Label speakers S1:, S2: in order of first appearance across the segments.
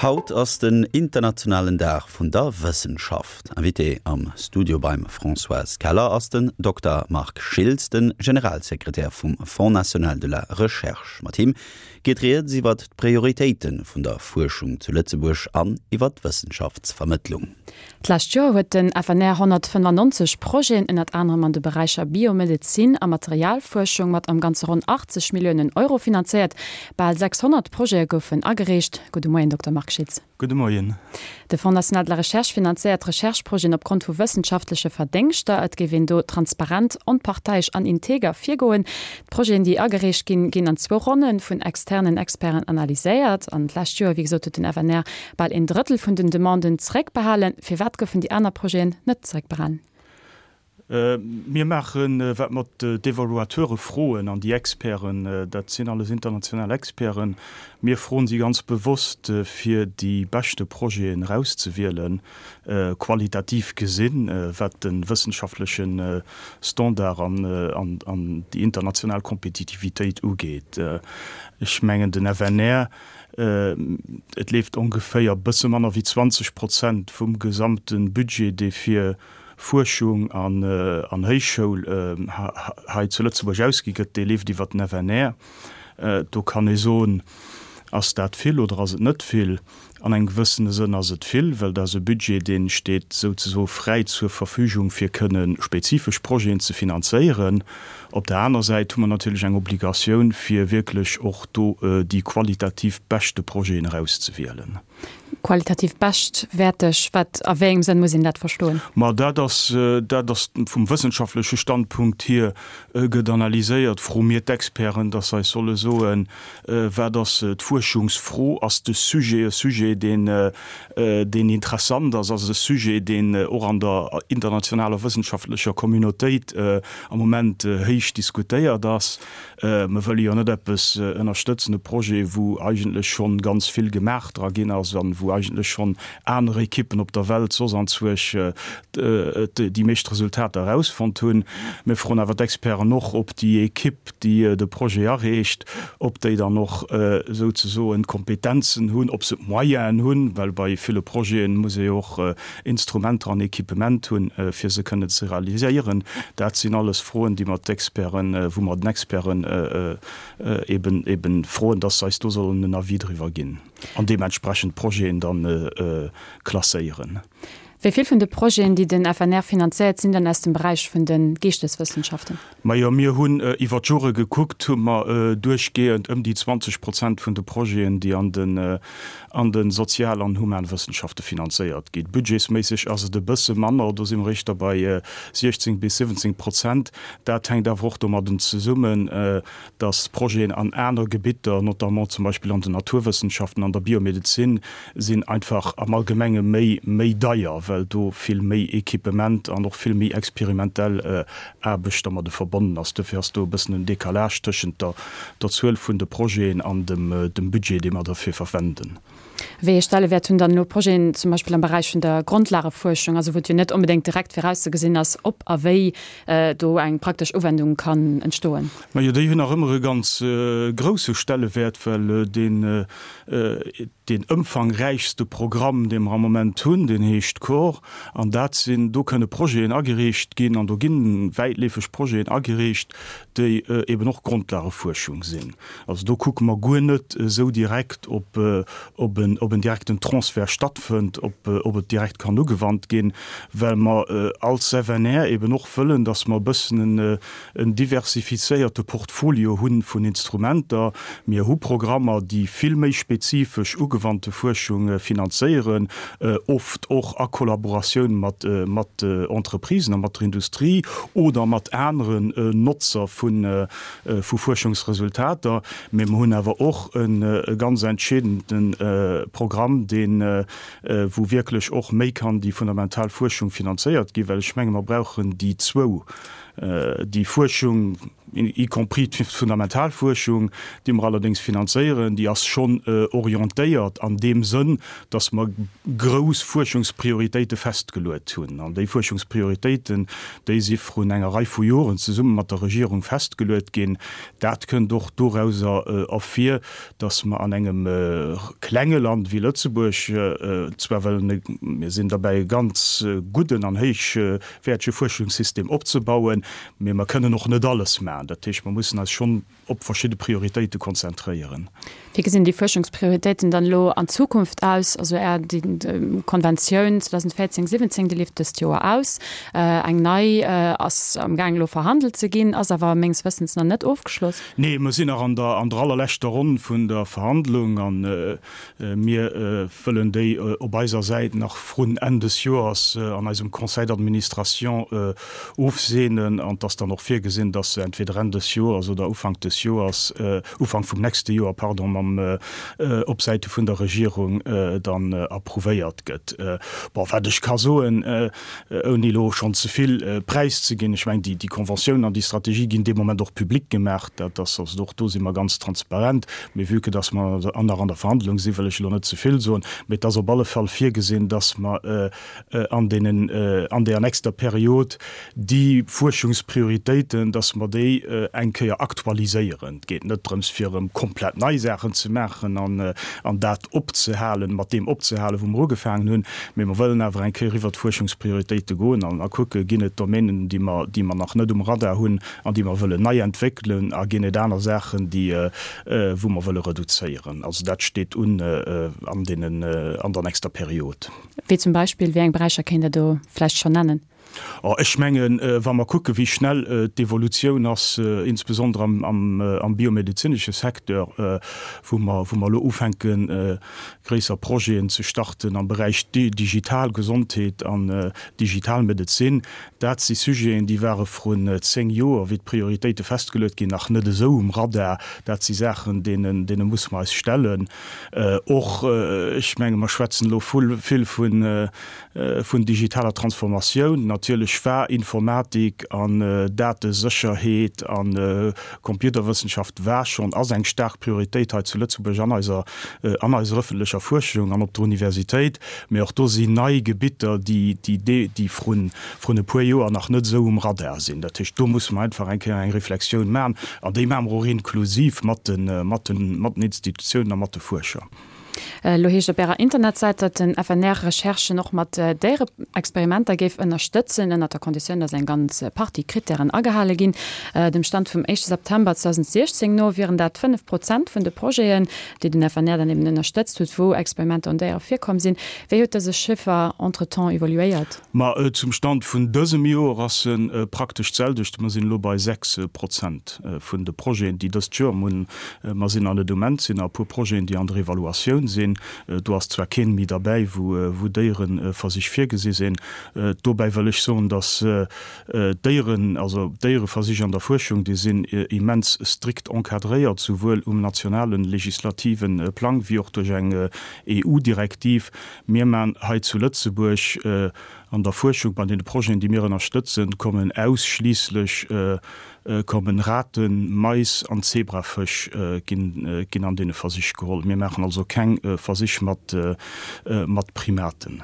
S1: Haut ass den internationalen Dag vun der Wëssenschaft. Invité am Studio beim Françoise Keller ass den Dokter Marc Schiltz, de Generalsekretär vum Fonds national de la recherche. Mat him geet rieds iwwer d'Prioritéite vun der Fuerschung zu Lëtzebuerg an iwwer d'Wëssenschaftsvermëttlung.
S2: D'lescht Joer huet den FNR 195 Projeten, ënnert anerem an de Beräicher Biomedezin a Materialfuerschung, mat am Ganze ronn 80 Milliounen Euro finanzéiert. Bal 600 Projete goufen agereecht. Gudde Moien, Dokter Marc Schiltz.
S3: Gudde Moien.
S2: De Fonds national de la recherche finanzéiert Recherche-Projeten opgrond vu wëssenschaftleche Verdéngschter. Et géif een do transparent, onparteiesch an integer virgoen. D'Projeten, déi agereecht ginn, ginn an zwou Ronne vun externen Experten analyséiert. An d'lescht Joer, wéi gesot, huet den FNR bal een Drëttel vun den Demanden zeréckbehalen. Firwat goufen déi aner Projeten net zeréckbehalen?
S3: Mir maachen, wat mer d'Evaluateure froen an déi Experten, dat sinn alles international Experten, mir froen si ganz bewosst, fir déi beschte Projeten erauszewielen, qualitativ gesinn, wat de wëssenschaftleche Standard an déi international Kompetitivitéit ugeet. Ech mengen, den FNR, et leeft ongeféier e bësse manner wéi 20 Prozent vum gesamte Budget, dee fir Fuerschung an Héichschoul hei zu Lëtzebuerg ausgi gëtt, dee leeft iwwer den FNR. Do kann ee soen, Ass dat vill oder ass et net vill? An engem gewëssene Sënn ass et vill, well dat ass e Budget, dee steet souzesoe fräi zur Verfügung, fir kënne spezifesch Projeten ze finanzéieren. Op der aner Säit hu mer natierlech eng Obligatioun, fir wierklech och do déi qualitativ beschte Projeten erauszewielen.
S2: Qualitativ beschtwäerteg, wat, a wéi engem Sënn muss een dat verstoen?
S3: Ma dat ass, dat ass vum wëssenschaftleche Standpunkt hier gëtt analyséiert. Froe mir d'Experten, dass se eis solle soen, wat ass d'Fuerschungsfro? Ass de Sujet e Sujet, deen, deen interessant ass? Ass et e Sujet, deen och an der internationaler wëssenschaftlecher Communautéit am Moment héich diskutéiert ass? Mer wëlle jo net eppes ënnerstëtzen, e Projet, wou eigentlech schonn ganz vill gemaach dra ginn ass an wou eigentlech schonn aner Ekippen op der Welt soss anzwuersch déi meescht Resultater erausfonnt hunn. Mir froen awer d'Experten och, ob déi Ekipp, déi de Projet areecht, ob déi dann och souzesoen d'Kompetenzen hunn, ob se d'Moyenen hunn, well bei ville Projeten muss ee jo och Instrumenter an Equipement hunn, fir se kënnen ze realiséieren. Dat sinn alles Froen, déi mer d'Experten, wou mer den Experten eben, eben froen, dass se eis do sollen en Avis driwwer ginn an deementsprechend d'Projeten dann klasséieren.
S2: Wéi vill vun de Projeten, déi den FNR finanzéiert, sinn dann aus dem Beräich vun de Geeschteswëssenschaften?
S3: Majo, mir hunn iwwer d'Jore gekuckt, hu mer duerchgehend ëm déi 20 Prozent vun de Projeten, déi an den an de Sozial an Humanwëssenschafte finanzéiert ginn. Budgetsméisseg ass et e bësse manner, do si mer éischter bei 16 bis 17 Prozent. Dat hänkt awer och domadden zesummen, dass Projeten an aner Gebitter, notamment zum Beispill an den Naturwëssenschaften, an der Biomedezin, sinn einfach am Allgemenge méi méi deier, well do vill méi Equipement an och vill méi experimentell Aarbecht dermadde verbonnen ass. Dofir ass do e bëssen en Décalage tëschent der der Zuel vun de Projeten an dem dem Budget, dee mer derfir verwenden.
S2: Wéi ee Stellewäert hunn dann elo Projeten zum Beispill am Beräich vun der Grondlagefuerschung, also wou et jo net onbedéngt direkt virauszegesinn ass, ob a wéi do eng praktesch Uwendung kann entstoen?
S3: Majo, déi hunn nach ëmmer e ganz grousse Stellewäert, well deen deen ëmfangräichste Programm, dee mer am Moment hunn, deen heescht Core. An dat sinn, do kënne Projeten agereecht ginn an do gi wäitleefeg Projeten agereecht, déi eben och Grondlagefuerschung sinn. Also do kucke mer guer net esou direkt, ob ob en ob en direkten Transfert stattfënnt, ob ob et direkt kann ugewannt ginn, well mer als FNR eben och wëllen, dass mer e bëssen en en diversifizéierte Portfolio hu vun Instrumenter. Mir hu Programmer, déi vill méi spezifesch ugewannte Fuerschung finanzéieren, oft och a Kollaboratioun mat mat Entreprisen a mat der Industrie oder mat aneren Notzer vu vu Fuerschungsresultater. Mee mer hunn awer och e ganz entscheedende Programm, deen, wou wierklech och méi kann déi fundamental Fuerschung finanzéiert ginn, well ech menge mer brauchen déi zwou. Déi Fuerschung, y compris d'Fundamentalfuerschung, déi mer allerdéngs finanzéieren, déi ass schonn orientéiert an deem Sënn, dass mer grouss Fuerschungsprioritéite festgeluet hunn. An déi Fuerschungsprioritéiten, déi si vrun enger Rei vu Joren zesumme mat der Regierung festgeluet ginn. Dat kënnt och dorauser ervir, dass mer an engem klenge Land wéi Lëtzebuerg zwar wëllen, mir sinn derbäi e ganz gudden an héichwäertege Fuerschungssystem opzebauen, mee mer kënnen och net alles maachen. Dat heescht, mer mussen eis schonn op verschidde Prioritéite konzentréieren.
S2: Wéi gesinn déi Fuerschungsprioritéiten dann elo an Zukunft aus? Also Är Konventioun 2014, 17, déi leeft dëst Joer aus. Eng nei ass am Gaang elo verhandelt ze ginn, ass awer menges Wëssens nach net ofgeschloss.
S3: Nee, mer sinn nach an der an der allerleschter Ronn vun der Verhandlung a mir wëllen déi op eiser Säit nach vrun Enn des Joers an eisem Conseil d'administration ofseenen. An et ass dann och virgesinn, dass se entweder Enn des Joers oder Ufank des Joers, Ufank vum nächste Joer, pardon, mam op Säite vun der Regierung dann approuvéiert gëtt. Bon, wat ech ka soen, Ouni elo schonn ze vill präiszeginn, ech mengen, déi Conventioun an déi Strategie ginn dee Moment och public gemaach. Dat ass also, och do si mer ganz transparent. Mee vue que dass mer nach an der Verhandlung sinn, wëll ech elo net ze vill soen. Mee et ass op alle Fall virgesinn, dass mer an deenen, an deer nächster Period déi Fuerschungsprioritéiten, dass mer déi eng Kéier aktualiséieren. Et geet net drëms, fir erëm komplett nei Saachen ze maachen an dat opzehalen, mat deem opzehalen, wou mer ugefaangen hunn, mee mer wëllen awer eng Kéier iwwert d'Fuerschungsprioritéite goen an a kucke, ginn et Domänen, déi mer, déi mer nach net um Radar hunn an déi mer wëllen nei entwéckelen a ginn et aner Saachen, déi, wou mer wëlle reduzéieren. Also dat steet un an deenen, an der nächster Period.
S2: Wéi zum Beispill, wéi eng Beräicher kéint Der do vläicht schonn nennen?
S3: Oh, ech mengen, wa mer kucken, wéi schnell d'Evolutioun ass, insbesondere am biomedezinesche Secteur, wou mer, wou mer elo ufänken, gréisser Projeten ze starten am Beräich digital Gesondheet an digital Medezin, dat si Sujeten, déi ware vrun zéng Joer, wéi d'Prioritéite festgeluet ginn, nach net esou um Radar. Dat si Saachen, deenen, deene musse mer eis stellen. Och, ech menge mer schwätzen elo vill vun, Vun digitaler Transformatioun. Natierlech war Informatik an Datesécherheet a Computerwëssenschaft war schonn, ass eng staark Prioritéit hei zu Lëtzebuerg an eiser, an eiser ëffentlecher Fuerschung an op der Universitéit. Mee och do sinn nei Gebitter, déi, déi, déi vrun, vrun e puer Joer nach net esou um Radar sinn. Dat heescht, do musse mer einfach eng Kéier eng Reflexioun maachen an déi maache mer och inklusiv mat de, mat den, mat den Institutiounen a mat de Fuerscher.
S2: Elo heescht op Ärer Internetsäit, datt den FNR Recherchen och mat Déiereexperimenter géif ënnerstëtzen, ënnert der Konditioun, datt eng ganz Partie Krittären agehale ginn. Dem Stand vum éischte September 2016 no wieren dat 5 Prozent vun de Projeten, déi den FNR dann eben ënnerstëtzt huet, wou Experimenter un Déiere virkomm sinn. Wéi huet dëse Chiffer entretemps evoluéiert?
S3: Ma zum Stand vun dësem Joer ass e praktesch d'selwecht. Mer sinn elo bei 6 Prozent vun de Projeten, déi dëst Joer munn Mer sinn an de Moment sinn nach e puer Projeten, déi an der Evaluatioun sinn. Do ass zwar keen méi derbäi, wou Déiereversich virgesi sinn. Dobäi wëll ech soen, dass d'Déieren, also d'Déiereversich an der Fuerschung, déi sinn immens strikt encadréiert, souwuel um nationalen legislative Plang wéi och duerch eng EU-Direktiv. Mir man hei zu Lëtzebuerg an der Fuerschung, bei deene Projeten, déi mir ënnerstëtzen, kommen ausschliisslech kommen Raten, Mais an Zebrafësch ginn an deene Versich geholl. Mir maachen also keng Versich mat Primaten.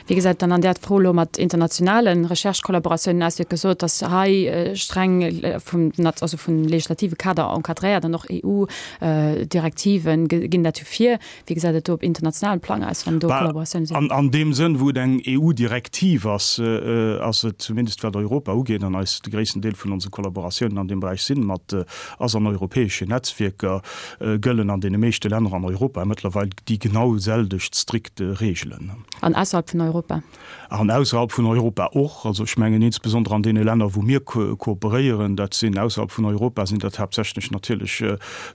S2: Wéi gesäit et dann an där Fro elo mat internationale Recherche-Kollaboratiounen aus? Dir hutt gesot, datt hei streng vum, also vum legislative Kader encadréiert an och EU-Direktive ginn dat jo vir. Wéi gesäit et do op internationalem Plang aus, wann do Kollaboratioune
S3: sinn? An deem Sënn, wou et eng EU-Direktiv ass, ass et, zumindest wat Europa ugeet, an eis, de gréissten Deel vun onse Kollaboratiounen an deem Beräich sinn mat, ass an europäeschen Netzwierker, gëllen an deene meeschte Länner an Europa mëttlerweil déi genau selwecht strikt Reegelen.
S2: An ausserhalb vun Europa?
S3: An ausserhalb vun Europa och. Also ech mengen insbesondere an deene Länner, wou mir kooperéieren, dat sinn ausserhalb vun Europa sinn dat haaptsächlech natierlech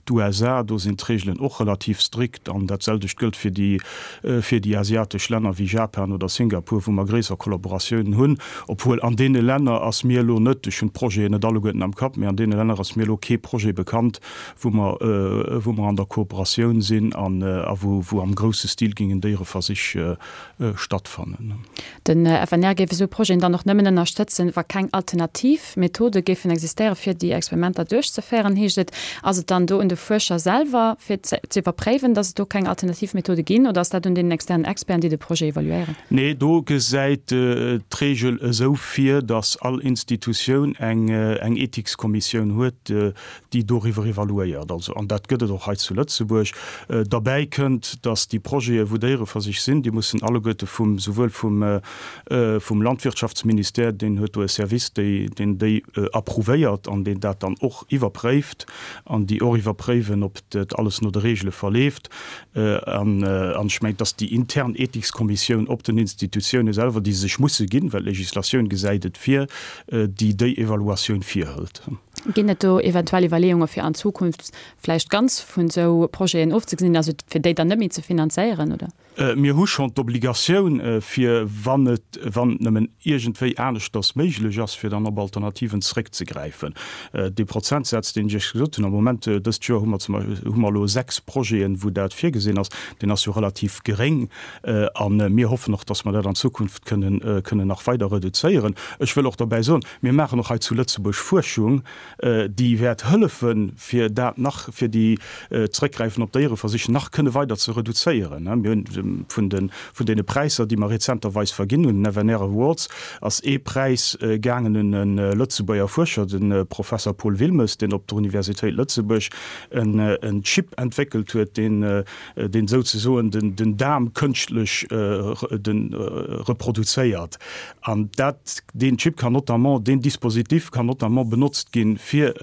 S3: d'USA, do sinn d'Regelen och relativ strikt. An dat selwecht gëllt fir déi, fir déi asiatesch Länner wéi Japan oder Singapur, wou mer gréisser Kollaboratiounen hunn. Obwuel an deene Länner ass mir elo net, ech hunn d'Projeten net alleguerten am Kapp, mee an deene Länner ass mir elo kee Projet bekannt, wou mer, wou mer an der Kooperatioun sinn an a wou, wou am grousse Stil gingen Déiereversich stattfannen. stattfannen.
S2: Den FNR géif esou Projeten dann och nëmmen ënnerstëtzen, wa keng alternativ Methode géifen existéieren, fir déi Experimenter duerchzeféieren, heescht et. Ass et dann do un de Fuerscher selwer, fir ze iwwerpréiwen, datt et do keng alternativ Methode ginn, oder ass dat un deenen externen Experten, déi de Projet evaluéieren?
S3: Nee, do gesäit d'Reegel esou vir, datt all Institutioun eng Ethikskommissioun huet, déi doriwwer evaluéiert. Also, an dat gëtt et och hei zu Lëtzebuerg. Derbäi kënnt, datt déi Projete wou Déiereversich sinn, déi mussen alleguerte vum, souwuel vum, vum Landwirtschaftsministère, deen huet do e Service, déi, deen déi approuvéiert an deen dat dann och iwwerpréift an déi och iwwerpréiwen, ob dat alles no de Regele verleeft. An, an ech mengen, datt déi intern Ethikskommissioun op den Institutioune selwer, déi se sech musse ginn, well d'Législatioun gesäit et vir, déi déi Evaluatioun virhëlt.
S2: Ginn et do eventuell Iwwerleeunge fir an Zukunft vläicht ganz vun esou Projeten ofzegesinn, also fir déi dann net méi ze finanzéieren, oder?
S3: Mir hu schonn d'Obligatioun, fir wann et, wann et nëmmen iergendwéi aneschters méiglech ass, fir dann op Alternativen zréckzegräifen. Dee Prozentsaz, deen ech Iech gesot hunn, am Moment, dëst Joer hu mer zum Beispill, hu mer elo 6 Projeten, wou dat virgesinn ass, deen ass jo relativ geréng. A mir hoffen och, dass mer dat an Zukunft kënnen, kënnen nach weider reduzéieren. Ech wëll och dobäi soen, Mir maachen och hei zu Lëtzebuerg Fuerschung, déi wäert hëllefen, fir dat nach, fir déi d'Zréckgräifen op Déiereversich nach kënne weider ze reduzéieren. Mir hunn vun de, vun deene Präisser, déi mer rezenterweis verginn hunn, den FNR Awards, ass ee Präis gaangen un e Lëtzebuerger Fuerscher, de Professer Paul Wilmes, deen op der Universitéit Lëtzebuerg en en Chip entwéckelt huet, deen, deen souzesoen den, den Daarm kënschtlech den reproduzéiert. An dat, deen Chip kann notamment, deen Dispositif kann notamment benotzt ginn, fir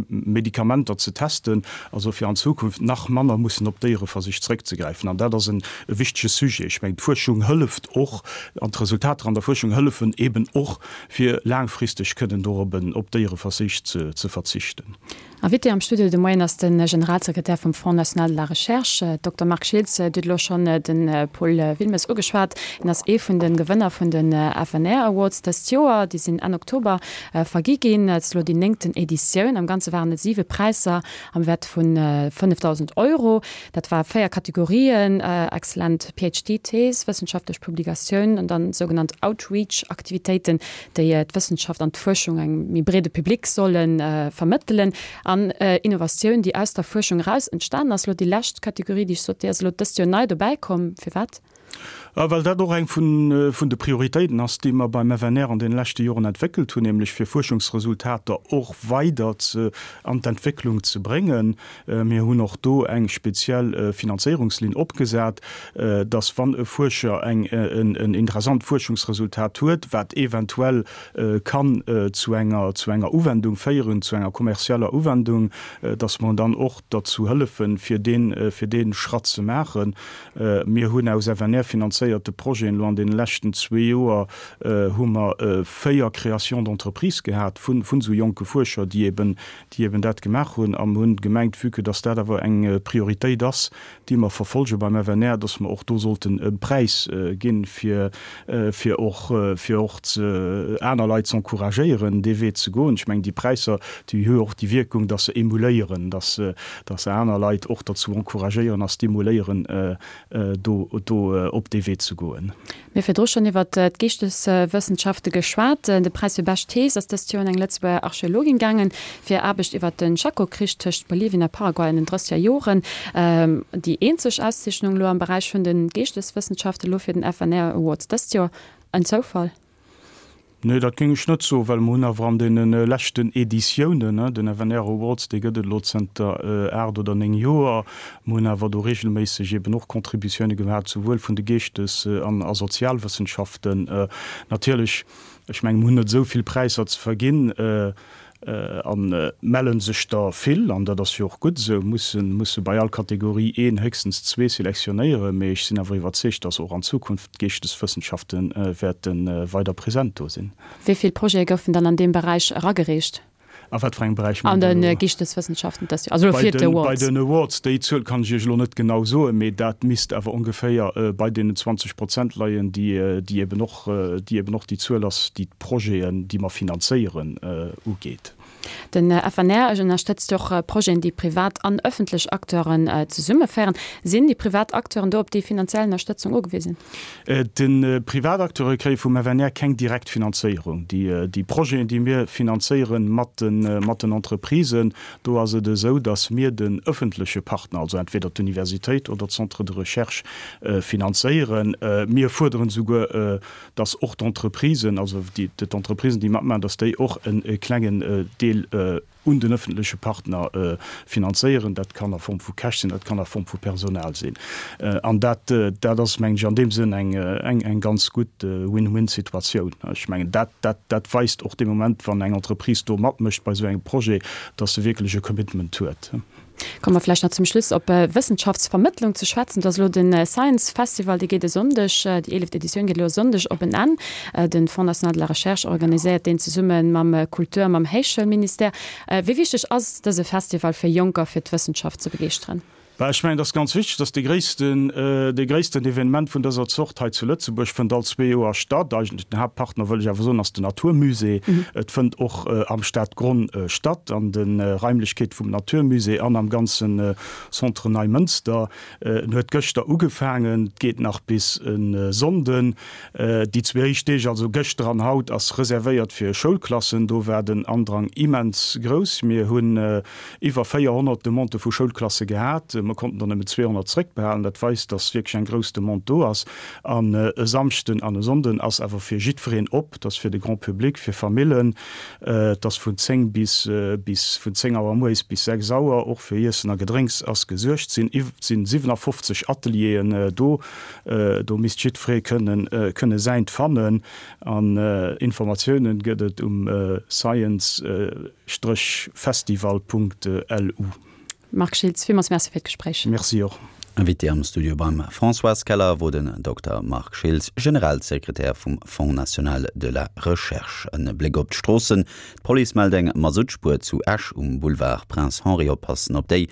S3: Medikamenter ze testen, also fir an Zukunft nach manner mussen op Déiereversich zréckzegräifen. An dat ass e wichtege Sujet. Ech mengen, d'Fuerschung hëlleft och, an d'Resultater an der Fuerschung hëllefen eben och, fir laangfristeg kënnen dorop op Déiereversich ze verzichten.
S2: Invité am Studio de Moien ass de Generalsekretär vum Fonds national de la recherche, Dokter Marc Schiltz. Dir hutt elo schonn de Paul Wilmes ugeschwat. Hien ass ee vun de Gewënner vun de FNR Awards dëst Joer. Déi sinn Enn Oktober vergi ginn. Et ass elo déi néngten Editioun. Am Ganze waren et siwe Präisser am Wäert vu 5.000 Euro. Dat war véier Kategorien, exzellent PhD-Thees, wëssenschaftlech Publikatioun an dann sougenannt Outreach-Aktivitéiten, déi d'Wëssenschaft an d'Fuerschung engem méi breede Public solle vermëttelen, an Innovatioun, déi aus der Fuerschung eraus entstanen ass. Elo déi lescht Kategorie, déi ech sot, déi ass elo dëst Joer nei dobäi komm. Firwat?
S3: Well dat och eng vun de Prioritéiten ass, déi mer beim FNR an deene leschte Joren entwéckelt hunn, nämlech fir Fuerschungsresultater och weider an d'Entwécklung ze bréngen. Mir hunn och do eng speziell Finanzéierungslinn opgesat, dass wann e Fuerscher eng en interessant Fuerschungsresultat huet, wat eventuell kann zu enger zu enger Uwendung féieren, zu enger kommerzieller Uwendung, dass mer dann och derzou hëllefen, fir deen fir dee Schratt ze maachen. Mir hunn aus FNR-finanzéierte Projeten elo an deene leschten zwee Joer hu mer véier Créations d'entreprises gehat vun vun esou jonke Fuerscher, déi eben déi eben dat gemaach hunn a mer hunn gemengt, vue que dass dat awer eng Prioritéit ass, déi mer verfolge beim FNR, dass mer och do sollten e Präis ginn, fir, fir och, fir och aner Leit ze encouragéieren, dee Wee ze goen. Ech mengen, déi Präisser, déi hu jo och déi Wierkung, dass se emuléieren, dass, dass se aner Leit och derzou encouragéieren a stimuléieren, do, do op dee Wee ze goen.
S2: Mir hu virdru schonn iwwert d'Geeschteswëssenschafte geschwat. De Präis fir bescht Thees ass dëst Joer un eng Lëtzebuerger Archeologin gaangen, fir Aarbecht iwwert de Chaco-Krich tëscht Bolivien a Paraguay an den drësseger Joren. Déi eenzeg Auszeechnung elo am Beräich vun de Geeschteswëssenschafte elo fir den FNR Awards dëst Joer. En Zoufall?
S3: Nee, dat géing ech net soen, well mer hunn awer an deene leschten Editiounen, den FNR Awards, dee gëtt et elo zënter 8 oder 9 Joer, mer hunn awer do regelméisseg eben och Contributioune gehat, souwuel vun de Geeschtes an a Sozialwëssenschaften. Natierlech, ech mengen, mer hunn net esou vill Präisser ze verginn, A melle sech der vill, an dat ass jo och gutt esou, musse musse bei all Kategorie een, héchstens zwee selektionéieren. Mee ech sinn awer iwwerzeegt, dass och an Zukunft d'Geeschteswëssenschafte wäerte weider present do sinn.
S2: Wéi vill Projete goufen dann an deem Beräich eragereecht?
S3: A wat fir engem Beräich
S2: mengt Der elo? An de Geeschteswëssenschaften dëst Joer, also elo fir
S3: d'Awards. Bei den Awards, déi Zuel kann ech Iech elo net genau soen, mee dat misst awer ongeféier bei deenen 20 Prozent leien, déi eben och déi eben och déi Zuel ass, déi d'Projeten, déi mer finanzéieren, ugeet.
S2: Den FNR ënnerstëtzt och Projeten, déi privat an ëffentlech Acteuren zesummeféieren. Sinn déi privat Acteuren do op déi finanziell Ënnerstëtzung ugewisen?
S3: Déi privat Acteure kréie vum FNR keng direkt Finanzéierung. Déi Projeten, déi mir finanzéieren mat den Entreprisen, do ass et esou, datt mir den ëffentleche Partner, also entweder d'Universitéit oder d'Centres de recherche finanzéieren. Mir fuerderen esouguer, dass och d'Entreprisen, also d'Entreprisen, déi matmaachen, dass déi och e klengen Deel un den öffentleche Partner finanzéieren. Dat kann a Form vu Cash sinn, dat kann a Form vu Personal sinn. An dat, dat ass, mengen ech, an deem Sënn eng, eng ganz gutt Win-win-Situatioun. Ech mengen, dat, dat, dat weist och dee Moment, wann eng Entreprise do matmécht bei esou engem Projet, dass se wierklech e Commitment huet.
S2: Komme mer vläicht nach zum Schluss op Wëssenschaftsvermëttlung ze schwätzen. Et ass elo de Science Festival, dee geet e Sonndeg, déi eeleft Editioun geet elo e Sonndeg op en Enn. De Fonds national de la recherche organiséiert deen zesumme mam Kultur a mam Héichschoulministère. Wéi wichteg ass dëse Festival fir Jonker fir d'Wëssenschaft ze begeeschteren?
S3: Bah, ech mengen, et ass ganz wichteg, dass dee gréissten, dee gréissten Evenement vun dëser Zort hei zu Lëtzebuerg fënnt all zwee Joer statt. Eigentlech den Haaptpartner, wëll ech awer soen, ass den Naturmusée. Et fënnt och am Stadgronn statt, an de Raimlechkeete vum Naturmusée an am ganze Centre Neimënster. En huet gëschter ugefaangen, et geet nach bis e Sonnden. Déi zwee éischt Deeg, also gëschter an haut, ass reservéiert fir Schoulklassen. Do war den Andrang immens grouss. Mir hunn iwwer 400 Demandë vu Schoulklasse gehat. Mer konnten der nëmmen 200 zréckbehalen. Dat weist, dass wierklech eng grouss Demande do ass. An e Samschden an e Sonnden ass awer fir jiddwereen op. Et ass fir de Grand public, fir Famillen. Et ass vun 10 bis bis vun 10 Auer mueres bis 6 Auer. Och fir Iessen a Gedrénks ass gesuergt. Sinn sinn 57 Atelieren do. Do misst jiddweree kënnen kënne säint fannen. An Informatiounen gëtt et um science. Festival.lu.
S2: Marc Schiltz, villmools Merci fir d'Gespréich.
S3: Merci och.
S1: Invité am Studio beim Françoise Keller wor den Dokter Marc Schiltz, Generalsekretär vum Fonds national de la recherche. En Bléck op d'Stroossen, D'Police mellt eng Masuttspuer zu Esch um Boulevard Prince Henri. Oppassen op déi!